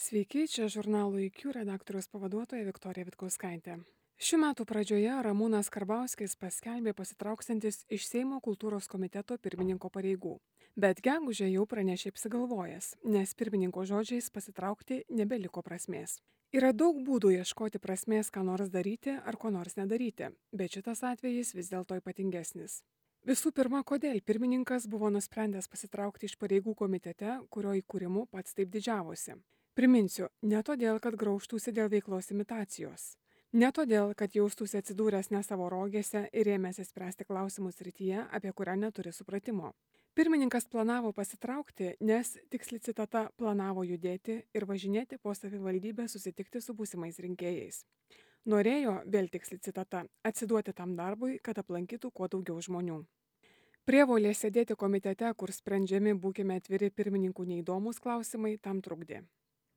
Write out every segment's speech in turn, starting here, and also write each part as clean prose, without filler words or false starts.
Sveiki, čia žurnalo IQ redaktoriaus pavaduotoja Viktorija Vitkauskaitė. Šių metų pradžioje Ramūnas Karbauskis paskelbė pasitrauksantis iš Seimo kultūros komiteto pirmininko pareigų. Bet gegužę jau pranešė apsigalvojęs, nes pirmininko žodžiais pasitraukti nebeliko prasmės. Yra daug būdų ieškoti prasmės, ką nors daryti ar ko nors nedaryti, bet šitas atvejis vis dėlto ypatingesnis. Visų pirma, kodėl pirmininkas buvo nusprendęs pasitraukti iš pareigų komitete, kurio įkūrimu pats taip didžiavosi. Priminsiu, ne todėl, kad graužtųsi dėl veiklos imitacijos. Ne todėl, kad jaustųsi atsidūręs ne savo rogėse ir ėmėsi spręsti klausimus srityje, apie kurią neturi supratimo. Pirmininkas planavo pasitraukti, nes, tiksli citata, planavo judėti ir važinėti po savivaldybę susitikti su būsimais rinkėjais. Norėjo, vėl tiksli citata, atsiduoti tam darbui, kad aplankytų kuo daugiau žmonių. Prievolė sėdėti komitete, kur sprendžiami, būkime atviri, pirmininkų neįdomus klausimai, tam trukdė.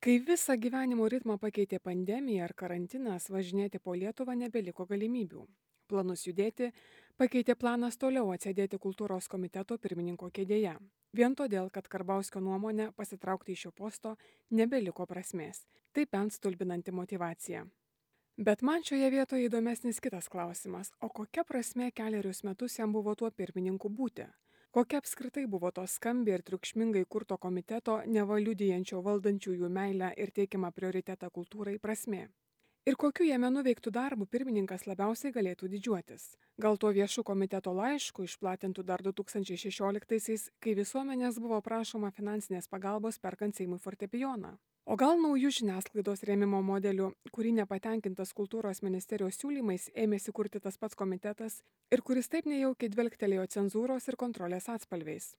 Kai visą gyvenimo ritmą pakeitė pandemija ar karantinas, važinėti po Lietuvą nebeliko galimybių. Planus judėti pakeitė planas toliau atsėdėti kultūros komiteto pirmininko kėdėje. Vien todėl, kad Karbauskio nuomonė pasitraukti iš šio posto nebeliko prasmės. Tai bent stulbinanti motyvacija. Bet man šioje vietoje įdomesnis kitas klausimas, o kokia prasmė kelerius metus jam buvo tuo pirmininku būti? Kokia apskritai buvo to skambiai ir triukšmingai kurto komiteto, neva liudijančio valdančiųjų meilę ir teikiamą prioritetą kultūrai prasmė? Ir kokiu jame nuveiktų darbų pirmininkas labiausiai galėtų didžiuotis? Gal tuo viešu komiteto laišku išplatintų dar 2016-aisiais, kai visuomenės buvo prašoma finansinės pagalbos perkant Seimui fortepijoną? O gal naujų žiniasklaidos rėmimo modelių, kurį nepatenkintas kultūros ministerijos siūlymais ėmėsi kurti tas pats komitetas ir kuris taip nejaukiai dvelgtelėjo cenzūros ir kontrolės atspalviais?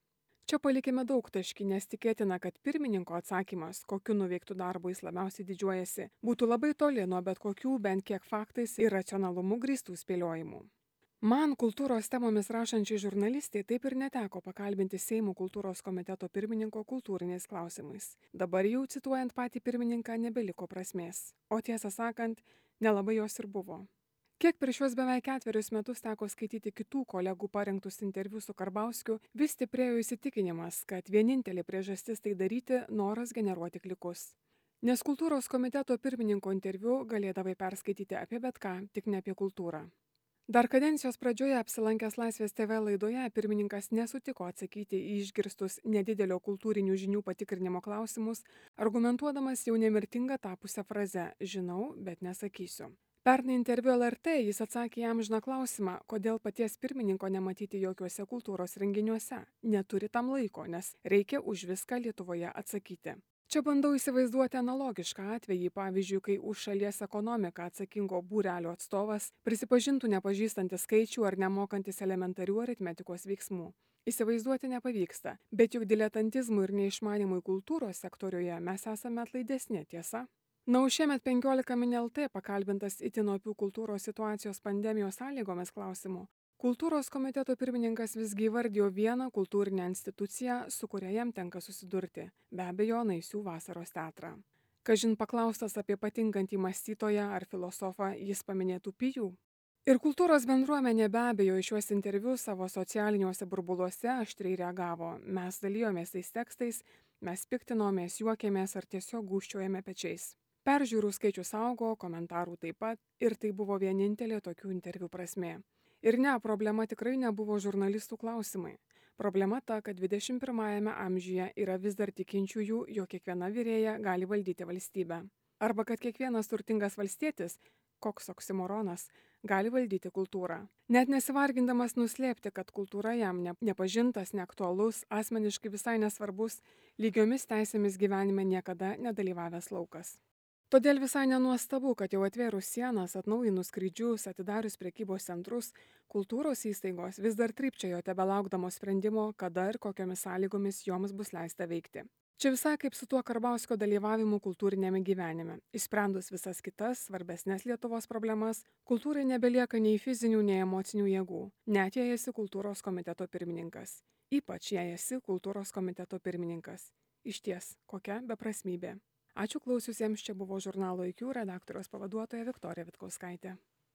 Čia palikime daug taškį, nes tikėtina, kad pirmininko atsakymas, kokiu nuveiktų darbu jis labiausiai didžiuojasi, būtų labai toli nuo bet kokių bent kiek faktais ir racionalumu grįstų spėliojimų. Man, kultūros temomis rašančiai žurnalistai, taip ir neteko pakalbinti Seimo kultūros komiteto pirmininko kultūriniais klausimais. Dabar jau cituojant patį pirmininką nebeliko prasmės, o tiesą sakant, nelabai jos ir buvo. Kiek per šios beveik 4 metus teko skaityti kitų kolegų parengtus interviu su Karbauskiu, vis stiprėjo įsitikinimas, kad vienintelė priežastis tai daryti - noras generuoti klikus. Nes kultūros komiteto pirmininko interviu galėdavai perskaityti apie bet ką, tik ne apie kultūrą. Dar kadencijos pradžioje apsilankęs Laisvės TV laidoje pirmininkas nesutiko atsakyti į išgirstus nedidelio kultūrinių žinių patikrinimo klausimus, argumentuodamas jau nemirtinga tapusią frazę "žinau, bet nesakysiu". Pernai interviu LRT jis atsakė į amžiną klausimą, kodėl paties pirmininko nematyti jokiuose kultūros renginiuose. Neturi tam laiko, nes reikia už viską Lietuvoje atsakyti. Čia bandau įsivaizduoti analogišką atvejį, pavyzdžiui, kai už šalies ekonomiką atsakingo būrelio atstovas prisipažintų nepažįstantis skaičių ar nemokantis elementarių aritmetikos veiksmų. Įsivaizduoti nepavyksta, bet juk diletantizmui ir neišmanimui kultūros sektoriuje mes esame atlaidesni, tiesa? Na, o šiemet 15 min LT pakalbintas itin opių kultūros situacijos pandemijos sąlygomis klausimų. Kultūros komiteto pirmininkas visgi įvardijo vieną kultūrinę instituciją, su kuria jam tenka susidurti, be abejo, Naisių vasaros teatrą. Kažin paklaustas apie patinkantį mąstytoją ar filosofą, jis paminėtų Pijų. Ir kultūros bendruomenė be abejo į šiuos interviu savo socialiniuose burbuluose aštriai reagavo. Mes dalijomės tais tekstais, mes piktinomės, juokėmės ar tiesiog gūžčiojame pečiais. Peržiūrų skaičius augo, komentarų taip pat, ir tai buvo vienintelė tokių interviu prasmė. Ir ne, problema tikrai nebuvo žurnalistų klausimai. Problema ta, kad 21 amžiuje yra vis dar tikinčiųjų, jog kiekviena virėja gali valdyti valstybę. Arba kad kiekvienas turtingas valstietis, koks oksimoronas, gali valdyti kultūrą. Net nesivargindamas nuslėpti, kad kultūra jam nepažintas, neaktualus, asmeniškai visai nesvarbus, lygiomis teisėmis gyvenime niekada nedalyvavęs laukas. Todėl visai nenuostabu, kad jau atvėrus sienas, atnaujinus skrydžius, atidarius prekybos centrus, kultūros įstaigos vis dar trypčiojo tebelaukdamos sprendimo, kada ir kokiomis sąlygomis joms bus leista veikti. Čia visai kaip su tuo Karbauskio dalyvavimu kultūrinėme gyvenime. Išsprendus visas kitas, svarbesnės Lietuvos problemas, kultūrai nebelieka nei fizinių, nei emocinių jėgų, net jei esi kultūros komiteto pirmininkas. Ypač jei esi kultūros komiteto pirmininkas. Išties, kokia beprasmybė. Ačiū klausiusiems, čia buvo žurnalo IQ redaktoriaus pavaduotoja Viktorija Vitkauskaitė.